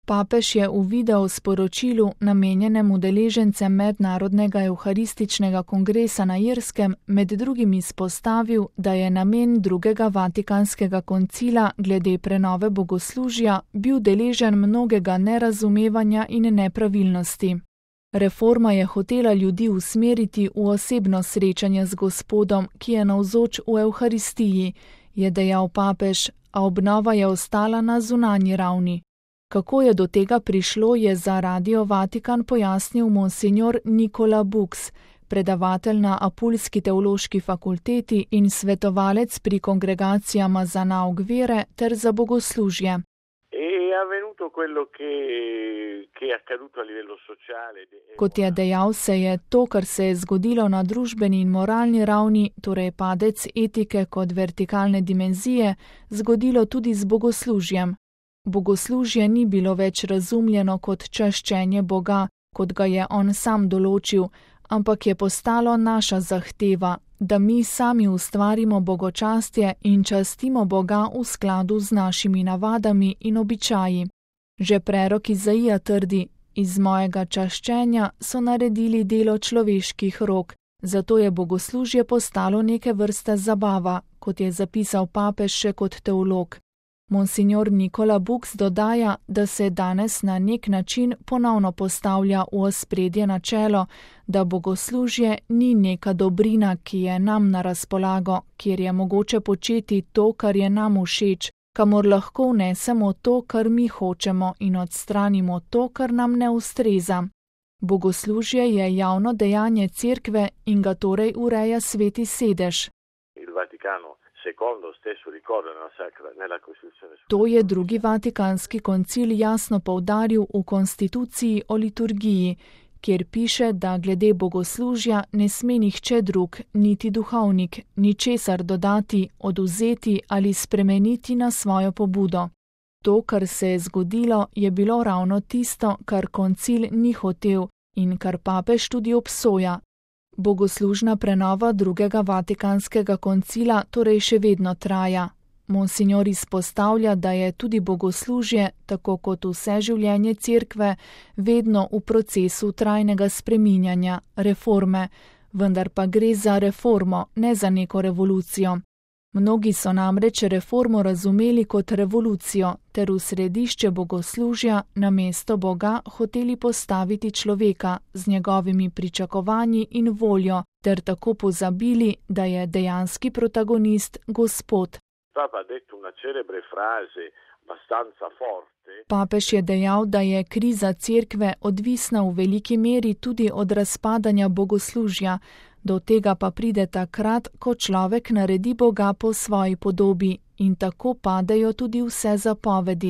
Papež je v video sporočilu, namenjenem udeležencem Mednarodnega evharističnega kongresa na Irskem, med drugim izpostavil, da je namen drugega Vatikanskega koncila glede prenove bogoslužja bil deležen mnogega nerazumevanja in nepravilnosti. Reforma je hotela ljudi usmeriti v osebno srečanje z Gospodom, ki je navzoč v Evharistiji, je dejal papež, a obnova je ostala na zunanji ravni. Kako je do tega prišlo, je za Radio Vatikan pojasnil monsinjor Nicola Bux, predavatelj na Apulski teološki fakulteti in svetovalec pri kongregacijama za nauk vere ter za bogoslužje. Kot je dejal, se je to, kar se je zgodilo na družbeni in moralni ravni, torej padec etike kot vertikalne dimenzije, zgodilo tudi z bogoslužjem. Bogoslužje ni bilo več razumljeno kot čaščenje Boga, kot ga je on sam določil, ampak je postalo naša zahteva, da mi sami ustvarimo bogočastje in častimo Boga v skladu z našimi navadami in običaji. Že prerok Izaija trdi, iz mojega čaščenja so naredili delo človeških rok, zato je bogoslužje postalo neke vrste zabava, kot je zapisal papež še kot teolog. Monsinjor Nicola Bux dodaja, da se danes na nek način ponovno postavlja v ospredje načelo, da bogoslužje ni neka dobrina, ki je nam na razpolago, kjer je mogoče početi to, kar je nam všeč, kamor lahko vnesemo to, kar mi hočemo in odstranimo to, kar nam ne ustreza. Bogoslužje je javno dejanje Cerkve in ga torej ureja Sveti sedež. To je drugi Vatikanski koncil jasno poudaril v konstituciji o liturgiji, kjer piše, da glede bogoslužja ne sme nihče drug, niti duhovnik, ničesar dodati, odvzeti ali spremeniti na svojo pobudo. To, kar se je zgodilo, je bilo ravno tisto, kar koncil ni hotel in kar papež tudi obsoja. Bogoslužna prenova drugega Vatikanskega koncila torej še vedno traja. Monsinjor izpostavlja, da je tudi bogoslužje, tako kot vse življenje Cerkve, vedno v procesu trajnega spreminjanja, reforme, vendar pa gre za reformo, ne za neko revolucijo. Mnogi so namreč reformo razumeli kot revolucijo, ter v središče bogoslužja namesto Boga hoteli postaviti človeka z njegovimi pričakovanji in voljo, ter tako pozabili, da je dejanski protagonist Gospod. Papež je dejal, da je kriza Cerkve odvisna v veliki meri tudi od razpadanja bogoslužja, do tega pa pride takrat, ko človek naredi Boga po svoji podobi in tako padejo tudi vse zapovedi,